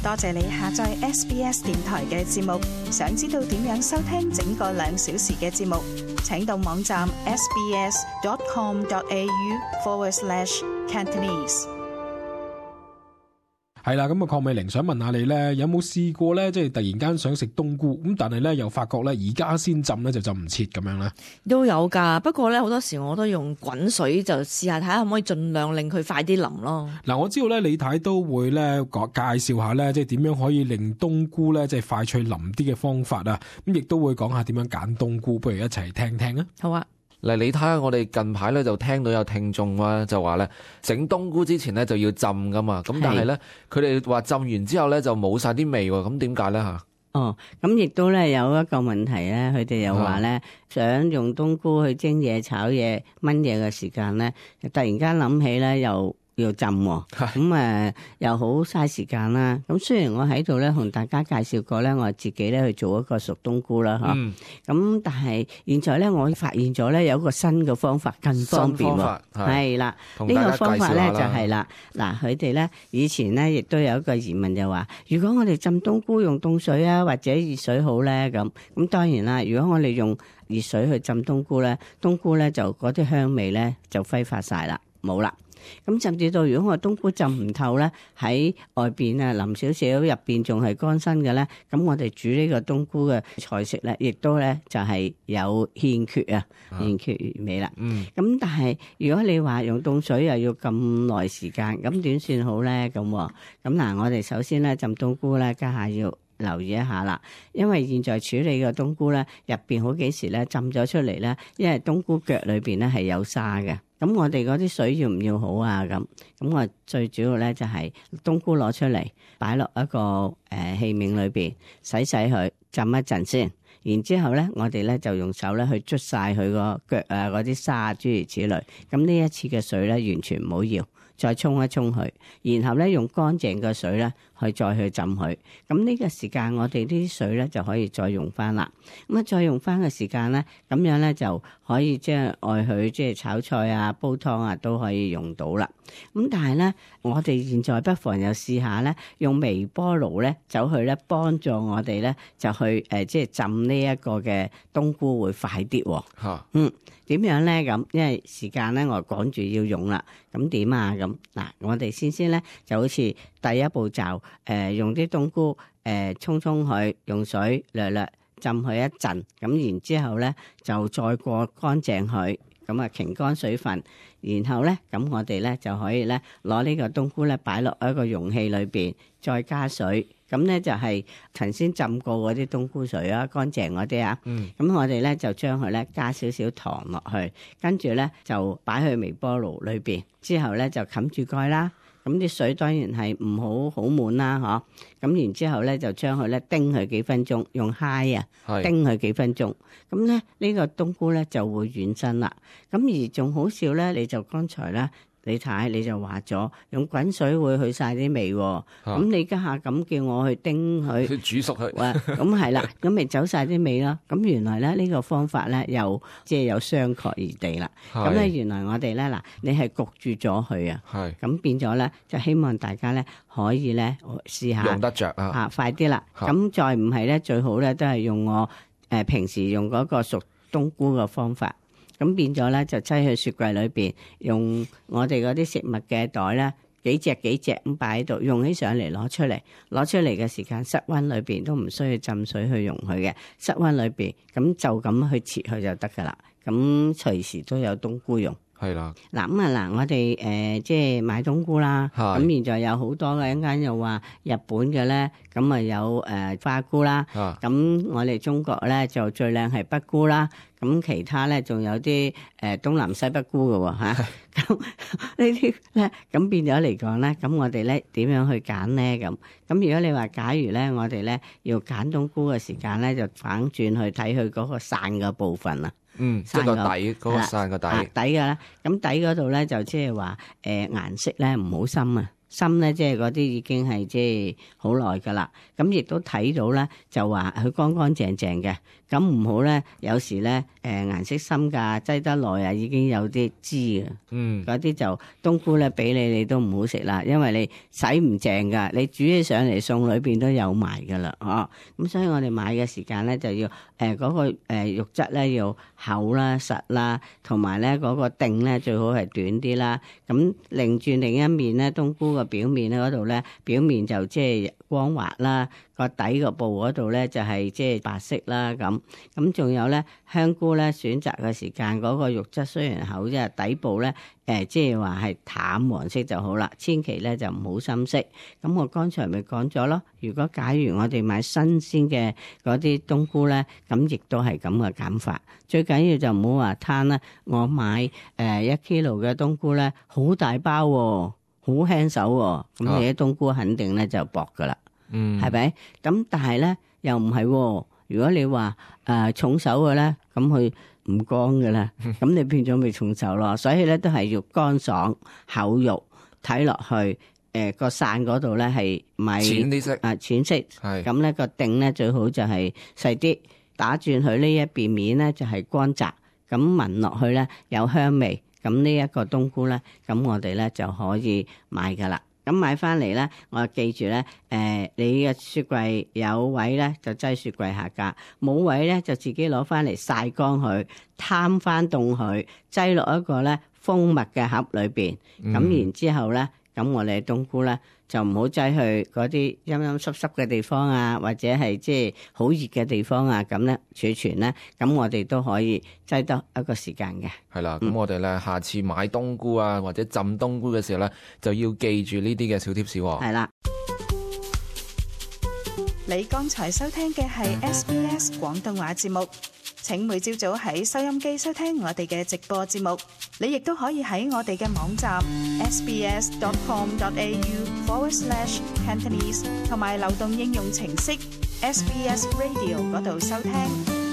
多謝你下載 SBS 電台嘅節目。想知道點樣收聽整個2小時嘅節目，請到網站 sbs.com.au/Cantonese。係啦，咁啊，鄺美玲想問下你咧，有冇試過咧，即係突然間想食冬菇，咁但係咧又發覺咧而家先浸咧就浸唔切咁樣咧？都有㗎，不過咧好多時我都用滾水就試下睇下可唔可以盡量令佢快啲腍咯。嗱，我知道咧李太都會咧介紹下咧，即係點樣可以令冬菇咧即係快脆腍啲嘅方法啊，咁亦都會講下點樣揀冬菇，不如一齊聽聽啊。好啊。嗱，你睇下我哋近排咧就聽到有聽眾啊，就話咧整冬菇之前咧就要浸噶嘛，咁但係咧佢哋話浸完之後咧就冇晒啲味喎，咁點解咧嚇？咁亦都咧有一個問題咧，佢哋又話咧想用冬菇去蒸嘢、炒嘢、炆嘢嘅時間咧，突然間諗起咧又要浸喎，咁又好嘥時間啦。咁雖然我喺度咧同大家介紹過咧，我自己咧去做一個熟冬菇啦，咁但係現在咧我發現咗咧有一個新嘅方法更方便喎，係啦，呢個方法咧就係啦，嗱佢哋咧以前咧亦都有一個疑問就話，如果我哋浸冬菇用凍水啊或者熱水好咧咁當然啦，如果我哋用熱水去浸冬菇咧，冬菇咧就嗰啲香味咧就揮發晒啦，冇啦。咁甚至到如果我冬菇浸唔透咧，喺外邊啊淋少少，入邊仲係乾身嘅咧，咁我哋煮呢個冬菇嘅菜式咧，亦都咧就係有欠缺欠缺完美啦。咁但係如果你話用凍水又要咁耐時間，咁點算好咧？咁嗱，我哋首先咧浸冬菇咧，家下要留意一下啦，因為現在處理嘅冬菇咧，入邊好幾時咧浸咗出嚟咧，因為冬菇腳裏邊咧係有沙嘅。咁我哋嗰啲水要唔要好啊？咁我最主要咧就係冬菇攞出嚟，擺落一個器皿裏邊，洗佢，浸一陣先。然之後咧，我哋咧就用手咧去捽晒佢個腳啊，嗰啲沙諸如此類。咁呢一次嘅水咧，完全唔好要，再沖一沖佢，然後咧用乾淨嘅水咧去再去浸佢。咁呢個時間我哋呢啲水咧就可以再用翻啦。咁再用翻嘅時間咧，咁樣咧就可以即係愛佢即係炒菜啊、煲湯啊都可以用到啦。咁但係咧，我哋現在不妨又試下咧，用微波爐咧走去咧幫助我哋咧就去即係浸呢一個嘅冬菇會快啲喎。點樣咧咁？因為時間咧我趕住要用啦。咁點啊？咁嗱，我哋先咧就好似第一步驟，用啲冬菇沖佢，用水略浸佢一陣，咁然之後咧就再過乾淨佢，咁啊擎乾水分，然後咧咁我哋咧就可以咧攞呢個冬菇咧擺落一個容器裏邊，再加水。咁咧就係頭先浸過嗰啲冬菇水啊，乾淨嗰啲啊。咁我哋咧就將佢咧加少少糖落去，跟住咧就擺去微波爐裏邊，之後咧就冚住蓋啦。咁啲水當然係唔好滿啦，咁然之後咧就將佢咧叮佢幾分鐘，用揩叮佢幾分鐘。咁咧呢個冬菇咧就會軟身啦。咁而仲好笑咧，你就剛才咧。你睇你就話咗用滾水會去晒啲味，咁你家下咁叫我去叮佢，煮熟佢，咁係啦，咁咪走晒啲味咯。咁原來咧呢個方法咧又即係有商榷而地啦。咁咧原來我哋咧嗱，你係焗住咗佢啊，咁變咗咧就希望大家咧可以咧試下用得着啊，快啲啦。咁再唔係咧最好咧都係用我平時用嗰個熟冬菇嘅方法。咁變咗咧，就擠去雪櫃裏邊，用我哋嗰啲食物嘅袋咧，幾隻咁擺喺度，用起上嚟攞出嚟嘅時間，室溫裏邊都唔需要浸水去溶佢嘅，室溫裏邊咁就咁去切佢就得噶啦，咁隨時都有冬菇用。係啦，嗱我哋即係買冬菇啦，咁現在有好多嘅，一陣間又話日本嘅咧，咁啊有花菇啦，咁我哋中國咧就最靚係北菇啦，咁其他咧仲有啲東南西北菇嘅喎嚇，咁呢啲咧咁變咗嚟講咧，咁我哋咧點樣去揀咧咁？咁如果你話假如咧我哋咧要揀冬菇嘅時間咧，就反轉去睇佢嗰個散嘅部分啦。即係個底嗰個散個底嘅啦，咁底嗰度咧就即係話顏色咧唔好深啊，心咧，即係嗰啲已經係即係好耐噶啦。咁亦都睇到咧，就話佢乾乾淨淨嘅。咁唔好咧，有時咧顏色深㗎，擠得耐啊，已經有啲脂啊。嗰啲就冬菇咧，俾你都唔好食啦，因為你洗唔淨㗎，你煮起上嚟餸裏邊都有埋㗎啦，咁所以我哋買嘅時間咧就要嗰個肉質咧要厚啦、實啦，同埋咧嗰個定咧最好係短啲啦。咁擰轉另一面咧，冬菇個表面咧嗰度咧，表面就即係光滑啦，個底個部嗰度咧就係即係白色啦咁。咁仲有咧香菇咧，選擇嘅時間嗰個肉質雖然厚，即係底部咧即係話係淡黃色就好啦，千祈咧就唔好深色。咁我剛才咪講咗咯，如果假如我哋買新鮮嘅嗰啲冬菇咧，咁亦都係咁嘅減法。最緊要就唔好話攤啦，我買1 kilo 嘅冬菇咧，好大包喎，好輕手喎，咁你啲冬菇肯定咧就薄噶啦，係咪？咁但係咧又唔係喎，如果你話重手嘅咧，咁佢唔乾嘅啦，咁你變咗咪重手咯。所以咧都係要乾爽厚肉，睇落去個傘嗰度咧係咪淺啲色淺色，係咁咧個頂咧最好就係細啲，打轉佢呢一邊面咧就係乾雜，咁聞落去咧有香味。咁呢一個冬菇咧，咁我哋咧就可以買噶啦。咁買翻嚟咧，我記住咧，你嘅雪櫃有位咧就擠雪櫃下格，冇位咧就自己攞翻嚟曬乾佢，攤翻凍佢，擠落一個咧封密嘅盒裏邊。咁然之後咧，咁我哋冬菇咧就唔好擠去嗰啲陰陰濕濕嘅地方啊，或者係即係好熱嘅地方啊，咁咧儲存咧，咁我哋都可以擠得一個時間嘅。係啦，咁我哋咧下次買冬菇啊，或者浸冬菇嘅時候咧，就要記住呢啲嘅小貼士喎。係啦。你剛才收聽嘅係 SBS 廣東話節目。請每朝早喺收音機收聽我哋嘅直播節目，你亦都可以喺我哋嘅網站 sbs.com.au/Cantonese 同埋流動應用程式 SBS Radio 嗰度收聽。